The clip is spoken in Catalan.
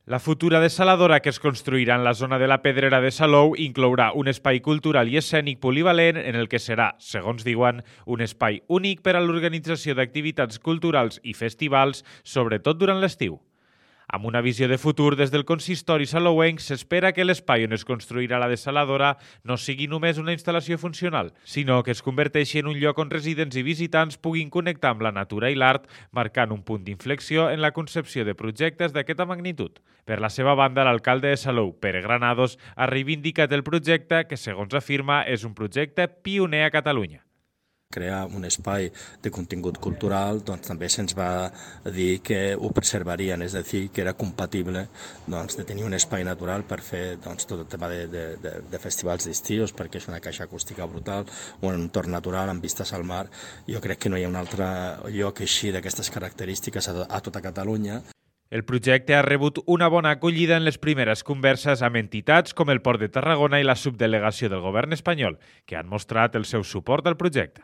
La futura dessaladora que es construirà en la zona de la Pedrera de Salou inclourà un espai cultural i escènic polivalent en el que serà, segons diuen, un espai únic per a l'organització d'activitats culturals i festivals, sobretot durant l'estiu. Amb una visió de futur des del consistori salouenc, s'espera que l'espai on es construirà la dessaladora no sigui només una instal·lació funcional, sinó que es converteixi en un lloc on residents i visitants puguin connectar amb la natura i l'art, marcant un punt d'inflexió en la concepció de projectes d'aquesta magnitud. Per la seva banda, l'alcalde de Salou, Pere Granados, ha reivindicat el projecte que, segons afirma, és un projecte pioner a Catalunya. Crear un espai de contingut cultural, doncs també se'ns va dir que ho preservarien, és a dir, que era compatible de tenir un espai natural per fer tot el tema de festivals d'estius, perquè és una caixa acústica brutal, un entorn natural amb vistes al mar. Jo crec que no hi ha un altre lloc així d'aquestes característiques a tota Catalunya. El projecte ha rebut una bona acollida en les primeres converses amb entitats com el Port de Tarragona i la subdelegació del govern espanyol, que han mostrat el seu suport al projecte.